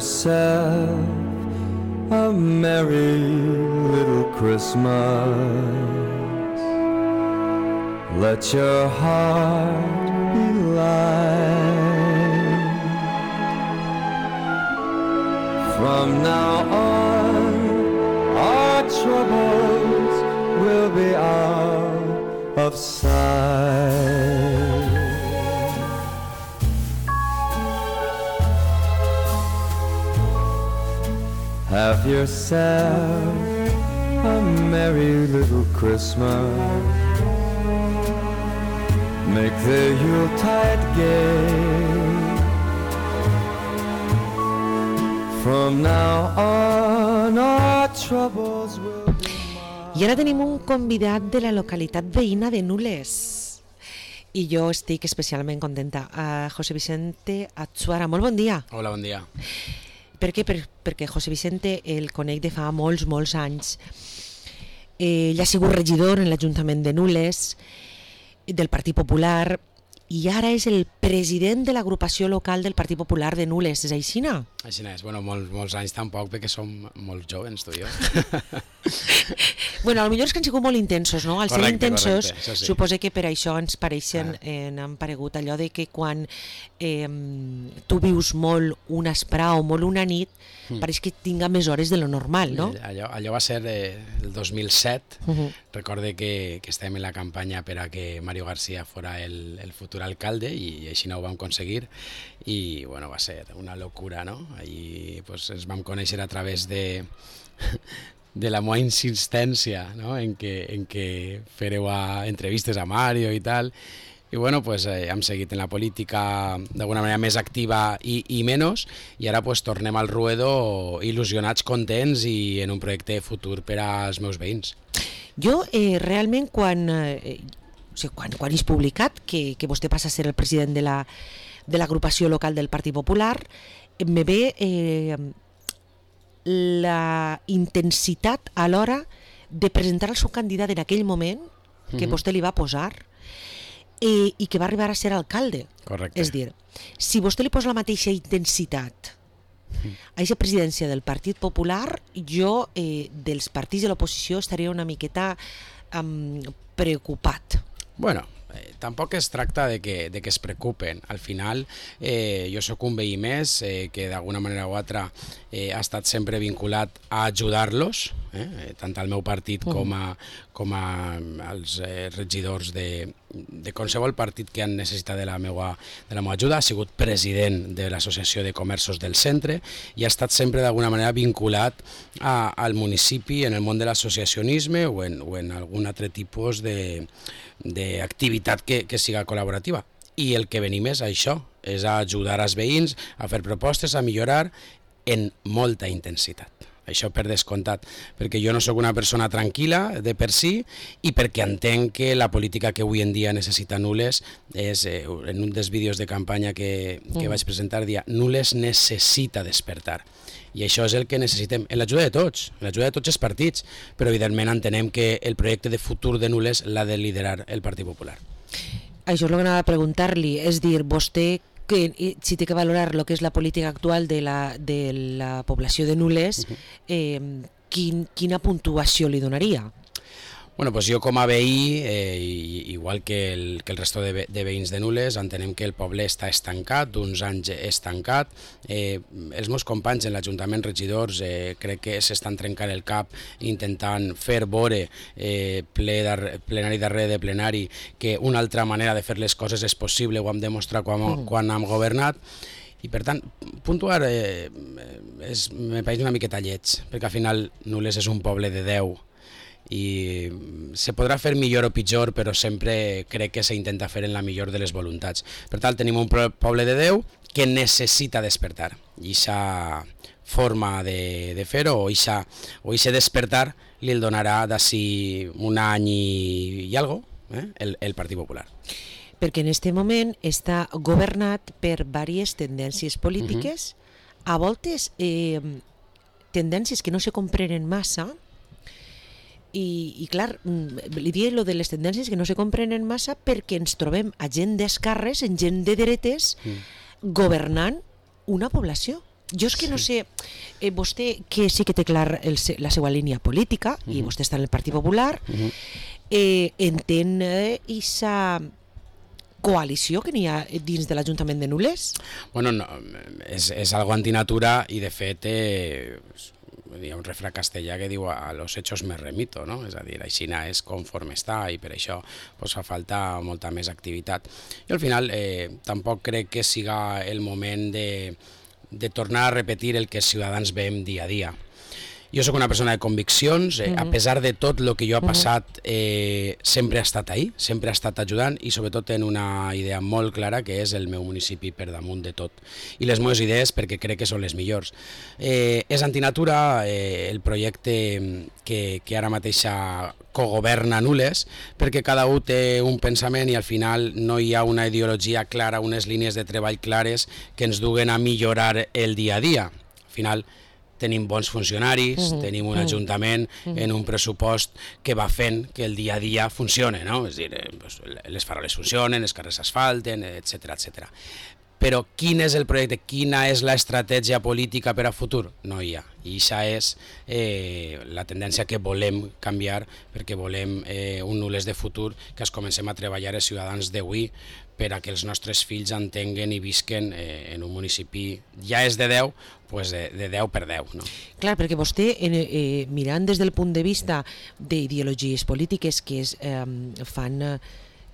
yourself a merry little Christmas. Let your heart be light. From now on, our troubles will be out of sight. Have yourself a merry little Christmas. Make the Yuletide gay. From now on our troubles will be mine. I ara tenim un convidat de la localitat veïna de Nules. I jo estic especialment contenta. José Vicente Atsuara, molt bon dia. Hola, bon dia. Per què? Perquè José Vicente el conec de fa molts anys. Ell ha sigut regidor en l'Ajuntament de Nules, del Partit Popular, i ara és el president de l'agrupació local del Partit Popular de Nules. És així, no? Així és. Bueno, molts anys tampoc, perquè som molt joves, tu i jo. Bueno, potser és que han sigut molt intensos, no? Al ser intensos, correcte, sí. suposo que per això ens pareixen, han paregut allò de que quan tu vius molt una esprà o molt una nit, pareix que tinga més hores de lo normal, no? Allò va ser el 2007. Recorde que estàvem en la campanya per a que Mario García fora el futur alcalde i així no ho vam aconseguir i bueno, va ser una locura, no? Ahí pues, ens vam conèixer a través de la meva insistència, no? en què fareu entrevistes a Mario i tal. I bueno, pues, hem seguit en la política d'alguna manera més activa i menys, i ara pues, tornem al ruedo il·lusionats, contents i en un projecte futur per als meus veïns. Jo realment quan és publicat que vostè passa a ser el president de l'agrupació local del Partit Popular, me ve la intensitat a l'hora de presentar el seu candidat en aquell moment que vostè li va posar i que va arribar a ser alcalde. Correcte. És dir, si vostè li posa la mateixa intensitat a aquesta presidència del Partit Popular, jo dels partits de l'oposició estaria una miqueta preocupat. Bueno, tampoc es tracta de que es preocupen. Al final, jo sóc un veí més que d'alguna manera o altra ha estat sempre vinculat a ajudar-los, tant al meu partit com als regidors de qualsevol partit que han necessitat de la meva ajuda. Ha sigut president de l'Associació de Comerços del Centre i ha estat sempre d'alguna manera vinculat al municipi en el món de l'associacionisme o en algun altre tipus d'activitat que siga col·laborativa. I el que venim és això, és a ajudar als veïns, a fer propostes, a millorar en molta intensitat. Això per descomptat, perquè jo no sóc una persona tranquil·la de per si i perquè entenc que la política que avui en dia necessita Nules és, en un dels vídeos de campanya que vaig presentar, dia Nules necessita despertar. I això és el que necessitem, en l'ajuda de tots els partits, però evidentment entenem que el projecte de futur de Nules l'ha de liderar el Partit Popular. Això és el que anava a preguntar-li, és dir, vostè si té que valorar el que és la política actual de la població de Nules, quina puntuació li donaria? Bueno, doncs jo com a veí, igual que el resto de veïns de Nules, entenem que el poble està estancat, d'uns anys estancat. Els meus companys en l'Ajuntament, regidors, crec que s'estan trencant el cap intentant fer veure plenari darrere de plenari que una altra manera de fer les coses és possible, ho hem demostrat quan hem governat. I per tant, puntuar me pareix una miqueta lleig, perquè al final Nules és un poble de 10 i se podrà fer millor o pitjor, però sempre crec que s'intenta fer en la millor de les voluntats. Per tant, tenim un poble de 10 que necessita despertar, i aquesta forma de fer-ho o aquest despertar li el donarà d'ací un any i algo el Partit Popular. Perquè en aquest moment està governat per diverses tendències polítiques, a voltes tendències que no se comprenen massa. I clar, li diré lo de les tendències que no se comprenen massa perquè ens trobem a gent d'esquerres, en gent de dretes, governant una població. Jo és que no sé, vostè que sí que té clar la seva línia política, i vostè està en el Partit Popular, entén aquesta coalició que n'hi ha dins de l'Ajuntament de Nules? Bueno, no, és algo antinatura i de fet hi ha un refrà castellà que diu a los hechos me remito, no? És a dir, Xina és conforme està i per això pues, fa falta molta més activitat. I al final tampoc crec que siga el moment de tornar a repetir el que els ciutadans veiem dia a dia. Jo sóc una persona de conviccions, a pesar de tot el que jo ha passat, sempre ha estat ahí, sempre ha estat ajudant i sobretot en una idea molt clara que és el meu municipi per damunt de tot. I les meves idees perquè crec que són les millors. És antinatura el projecte que ara mateix cogoverna Nules, perquè cada un té un pensament i al final no hi ha una ideologia clara, unes línies de treball clares que ens duguen a millorar el dia a dia. Al final tenim bons funcionaris, tenim un ajuntament en un pressupost que va fent que el dia a dia funcione, no? És a dir, les faroles funcionen, els carrers s'asfalten, etc etc. Però quin és el projecte, quina és l'estratègia política per a futur? No hi ha. I això és la tendència que volem canviar, perquè volem un Nules de futur, que es comencem a treballar els ciutadans d'avui per a que els nostres fills entenguen i visquen en un municipi, ja és de 10, pues de 10 per 10. No? Clar, perquè vostè, mirant des del punt de vista d'ideologies polítiques que fan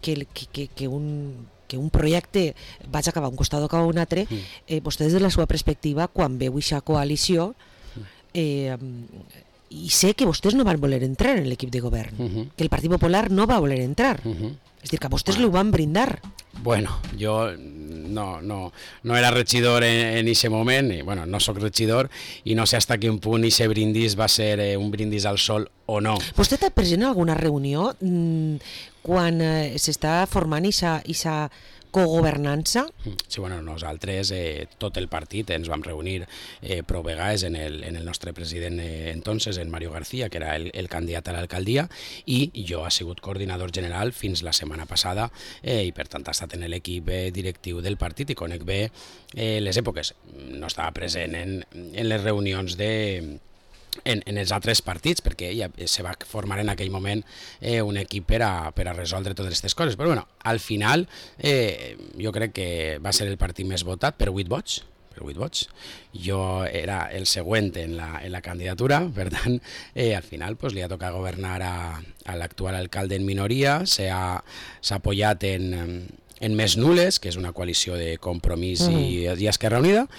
que un projecte vaig acabar un costat o acabar un altre, vostè des de la seva perspectiva, quan veu aquesta coalició, i sé que vostès no van voler entrar en l'equip de govern, que el Partit Popular no va voler entrar, és a dir, que vostès l'ho van brindar. Bueno, jo no era regidor en aquest moment, i bueno, no sóc regidor i no sé fins a quin punt aquest brindis va ser un brindis al sol o no. Vostè està present en alguna reunió quan s'està formant aquesta cogovernança? Sí, bueno, nosaltres, tot el partit, ens vam reunir prou vegades en el nostre president entonces, en Mario García, que era el candidat a l'alcaldia, i jo he sigut coordinador general fins la setmana passada i per tant he estat en l'equip directiu del partit i conec bé les èpoques. No estava present en les reunions en els altres partits, perquè ja se va formar en aquell moment un equip per a resoldre totes aquestes coses. Però bueno, al final jo crec que va ser el partit més votat per 8 vots. Jo era el següent en la candidatura, per tant, al final pues, li ha tocat governar a l'actual alcalde en minoria, s'ha apoyat en Més Nules, que és una coalició de Compromís i Esquerra Unida,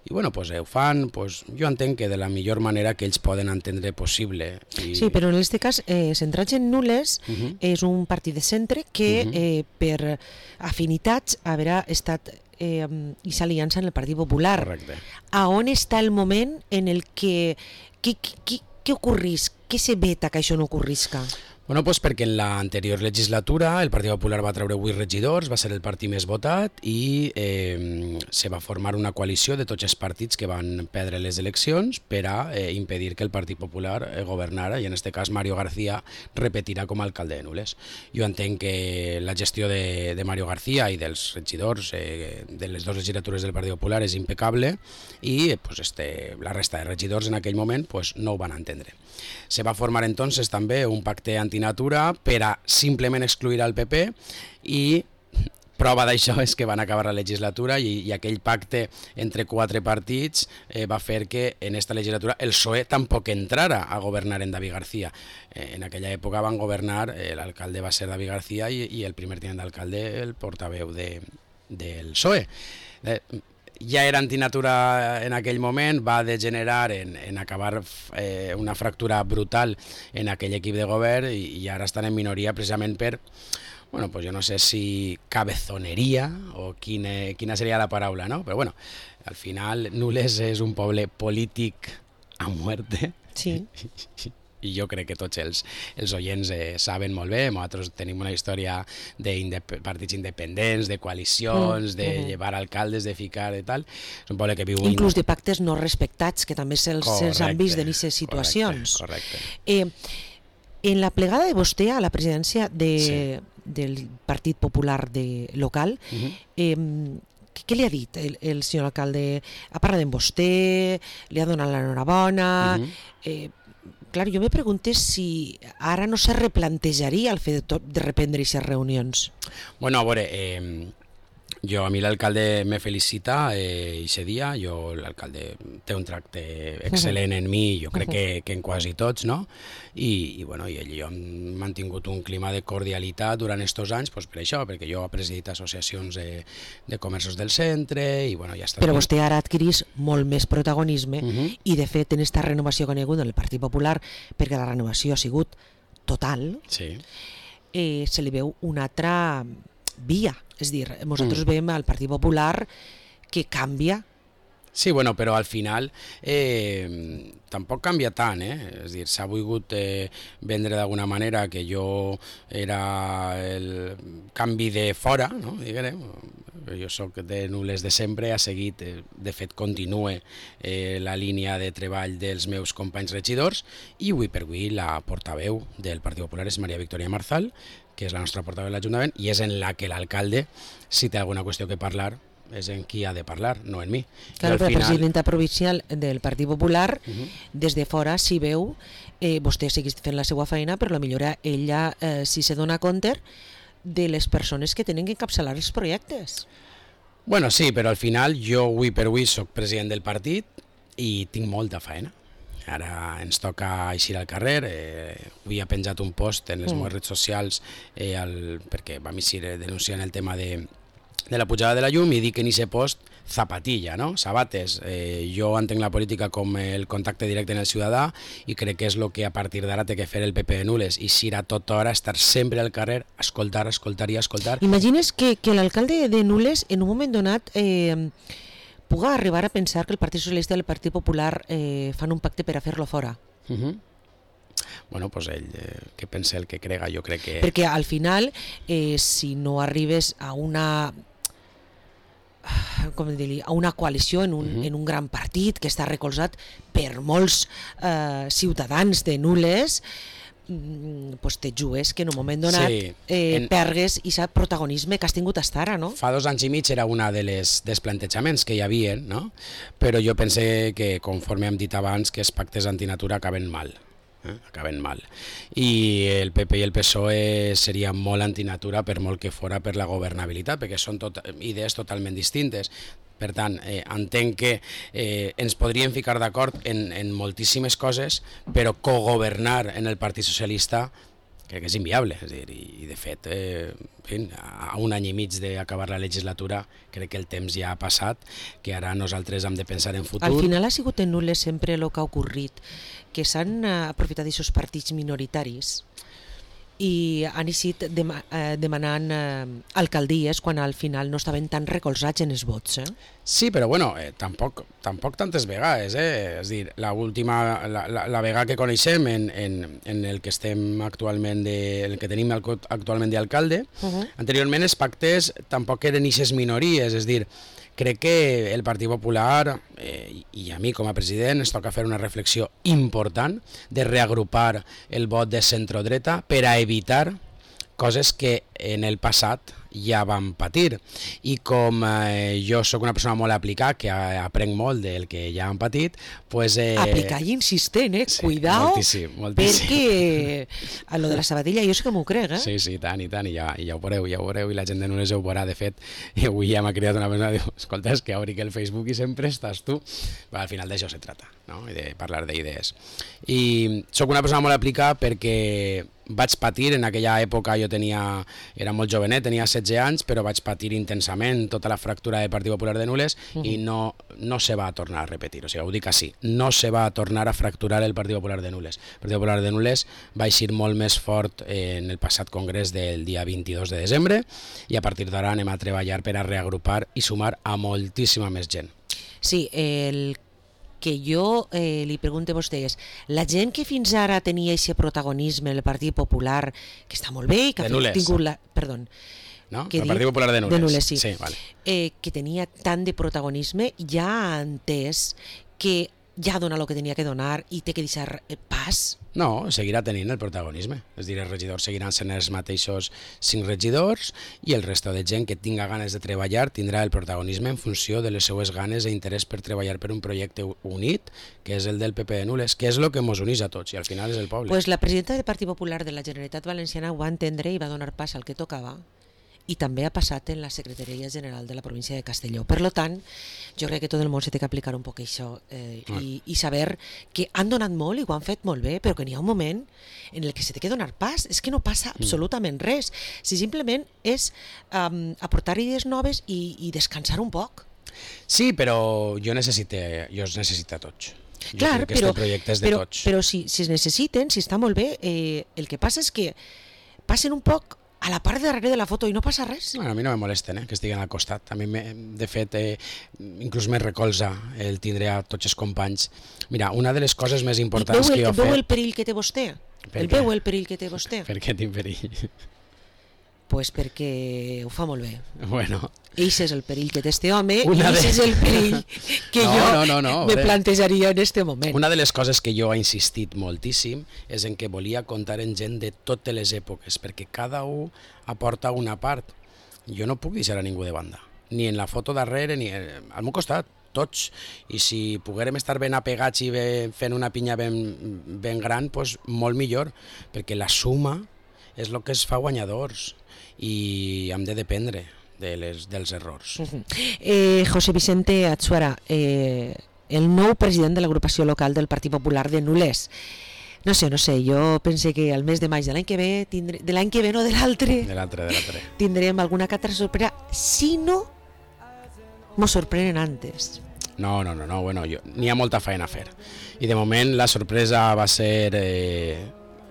i bueno, pues, ho fan, pues, jo entenc que de la millor manera que ells poden entendre possible. Sí, però en aquest cas, centrats en Nules, és un partit de centre que per afinitats haurà estat aquesta aliança en el Partit Popular. Correcte. A on està el moment en el que què ocorrisca? Què se veta que això no ocorrisca? Bueno, pues perquè en l'anterior legislatura el Partit Popular va treure 8 regidors, va ser el partit més votat i se va formar una coalició de tots els partits que van perdre les eleccions per a impedir que el Partit Popular governara i en aquest cas Mario García repetirà com a alcalde de Nules. Jo entenc que la gestió de Mario García i dels regidors de les dues legislatures del Partit Popular és impecable i pues, la resta de regidors en aquell moment pues, no ho van entendre. Se va formar entonces també un pacte antinatura per a simplement excluir al PP i prova d'això és que van acabar la legislatura i aquell pacte entre 4 partits va fer que en esta legislatura el PSOE tampoc entrara a governar en David García. En aquella època van governar, l'alcalde va ser David García i el primer tinent d'alcalde el portaveu del PSOE. Ja era antinatura en aquell moment, va degenerar en acabar una fractura brutal en aquell equip de govern i ara estan en minoria precisament per, bueno, pues jo no sé si cabezoneria o quina seria la paraula, no? Però bueno, al final Nules és un poble polític a muerte. Sí. I jo crec que tots els oients saben molt bé, nosaltres tenim una història de partits independents, de coalicions, de llevar alcaldes, de ficar i tal. És un poble que viu... Inclús de pactes no respectats, que també se'ls han vist en aquestes situacions. Correcte. En la plegada de vostè a la presidència del Partit Popular local, què li ha dit el senyor alcalde? Ha parlat amb vostè? Li ha donat l'enhorabona? Clar, jo me pregunté si ara no se replantejaria el fet de reprendre aquestes reunions. Bueno, a veure, a mi l'alcalde me felicita ese dia, l'alcalde té un tracte excel·lent en mi, jo crec que en quasi tots, no? I ell i jo hem mantingut un clima de cordialitat durant aquests anys, per això, perquè jo he presidit associacions de comerços del centre, i ja està. Però vostè ara adquirís molt més protagonisme, i de fet en aquesta renovació que ha hagut en el Partit Popular, perquè la renovació ha sigut total, sí. Se li veu una altra via. És dir, nosaltres veiem al Partit Popular que canvia. Sí, però al final tampoc canvia tant, És dir, s'ha volgut vendre d'alguna manera que jo era el canvi de fora, no? Diguem. Jo soc de Nules de sempre, ha seguit, de fet continue la línia de treball dels meus companys regidors, i avui per avui la portaveu del Partit Popular és Maria Victòria Marzal, que és la nostra portaveu de l'Ajuntament, i és en la que l'alcalde, si té alguna qüestió que parlar, és en qui ha de parlar, no en mi. Claro, però la presidenta provincial del Partit Popular, des de fora s'hi veu, vostè segueix fent la seva feina, però potser ella sí se dona compte de les persones que tenen que encapçalar els projectes. Bueno, sí, però al final jo avui per avui soc president del partit i tinc molta feina. Ara ens toca eixir al carrer, avui ha penjat un post en les meves redes socials perquè vam eixir denunciant el tema de la pujada de la llum, i dic en aquest post zapatilla, no? Sabates. Jo entenc la política com el contacte directe en el ciutadà, i crec que és el que a partir d'ara té que fer el PP de Nules, i eixir a tota hora, estar sempre al carrer, escoltar i escoltar. Imagines que l'alcalde de Nules en un moment donat puga arribar a pensar que el Partit Socialista i el Partit Popular fan un pacte per a fer-lo fora. Bueno, doncs ell, que pensa el que crega, jo crec que... Perquè al final, si no arribes a una coalició en un gran partit que està recolzat per molts ciutadans de Nules, pues te jugues que en un moment donat pergues aquest protagonisme que has tingut fins ara, no? Fa 2 anys i mig era una dels plantejaments que hi havia, no? Però jo pense que, conforme hem dit abans, que els pactes antinatura acaben mal. I el PP i el PSOE serien molt antinatura, per molt que fora per la governabilitat, perquè són idees totalment distintes. Per tant, entenc que ens podríem ficar d'acord en moltíssimes coses, però cogovernar en el Partit Socialista crec que és inviable. És dir, i de fet, a 1 any i mig d'acabar la legislatura, crec que el temps ja ha passat, que ara nosaltres hem de pensar en futur. Al final ha sigut en Nules sempre el que ha ocorrit, que s'han aprofitat d'aquests partits minoritaris i han eixit demanant alcaldies quan al final no estaven tan recolzats en els vots. Sí, però tampoc tantes vegades. És dir, la vegada que coneixem en el que estem actualment, el que tenim actualment d'alcalde, anteriorment els pactes tampoc eren eixes minories, és dir, crec que el Partit Popular, i a mi com a president, ens toca fer una reflexió important de reagrupar el vot de centrodreta per a evitar coses que en el passat ja vam patir. I com jo sóc una persona molt aplicada, que aprenc molt del que ja han patit, pues... Aplicar i insistent, sí, cuidao, moltíssim. perquè a lo de la sabatilla jo sí que m'ho crec, Sí, tant, i ja ho veureu, i la gent de Nules ho veurà. De fet, avui ja m'ha cridat una persona, diu, escolta, és que obri que el Facebook i sempre estàs tu. Però al final d'això se trata, no? I de parlar d'idees. I sóc una persona molt aplicada perquè vaig patir en aquella època, era molt jovenet, tenia 16 anys, però vaig patir intensament tota la fractura del Partit Popular de Nules i no se va tornar a repetir, o sigui, ho dic així, no se va tornar a fracturar el Partit Popular de Nules. El Partit Popular de Nules va eixir molt més fort en el passat congrés del dia 22 de desembre, i a partir d'ara anem a treballar per a reagrupar i sumar a moltíssima més gent. Sí, el que jo li pregunto a vostè és, la gent que fins ara tenia aquest protagonisme en el Partit Popular, que està molt bé i que ha tingut la... Perdó. No? El Partit Popular de Nules. De Nules, sí. Sí, vale. Que tenia tant de protagonisme, ja ha entès que ja dona el que tenia que donar i té que deixar pas? No, seguirà tenint el protagonisme. És a dir, els regidors seguiran sent els mateixos 5 regidors i el resto de gent que tinga ganes de treballar tindrà el protagonisme en funció de les seues ganes i interès per treballar per un projecte unit, que és el del PP de Nules, que és el que ens uneix a tots i al final és el poble. Pues la presidenta del Partit Popular de la Generalitat Valenciana ho va entendre i va donar pas al que tocava, i també ha passat en la Secretaria General de la província de Castelló. Per tant, jo crec que tot el món se té que aplicar un poc això i saber que han donat molt i ho han fet molt bé, però que n'hi ha un moment en el que se té que donar pas. És que no passa absolutament res. Si simplement és aportar idees noves i descansar un poc. Sí, però jo els necessito a tots. Clar, jo crec que aquest projecte és de tots. Però si es necessiten, si està molt bé, el que passa és que passen un poc a la part de darrere de la foto i no passa res. Bueno, a mi no me molesten que estiguen al costat. A mi, de fet, inclús me recolza el tindre a tots els companys. Mira, una de les coses més importants que jo he fet... Veu el perill que té vostè? Veu el perill que té vostè? Per què tinc perill? Pues perquè ho fa molt bé. Bueno. Eixe és el perill que té este home i eixe és el perill que me plantejaria en este moment. Una de les coses que jo he insistit moltíssim és en que volia comptar en gent de totes les èpoques, perquè cada un aporta una part. Jo no puc deixar a ningú de banda, ni en la foto darrere ni al meu costat, tots. I si poguérem estar ben apegats i fent una pinya ben gran, doncs molt millor, perquè la suma és el que es fa guanyadors i hem de dependre dels errors. José Vicente Atsuara, el nou president de l'agrupació local del Partit Popular de Nules. No sé, jo pense que al mes de maig de l'any que ve, de l'any que ve, no de l'altre, tindrem alguna que altra sorpresa, si no mos sorprenen antes. No, bueno, n'hi ha molta feina a fer. I de moment la sorpresa va ser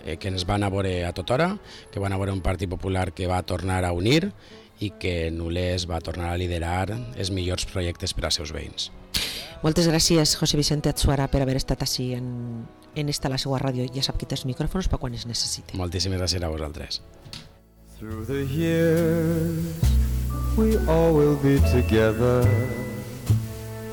que ens van a veure a tothora, que van a veure un Partit Popular que va tornar a unir i que Nules va tornar a liderar els millors projectes per als seus veïns. Moltes gràcies, José Vicente Atsuara, per haver estat així en esta la seva ràdio. Ja sap que té els micròfons per quan es necessiti. Moltíssimes gràcies a vosaltres. Through the years we all will be together.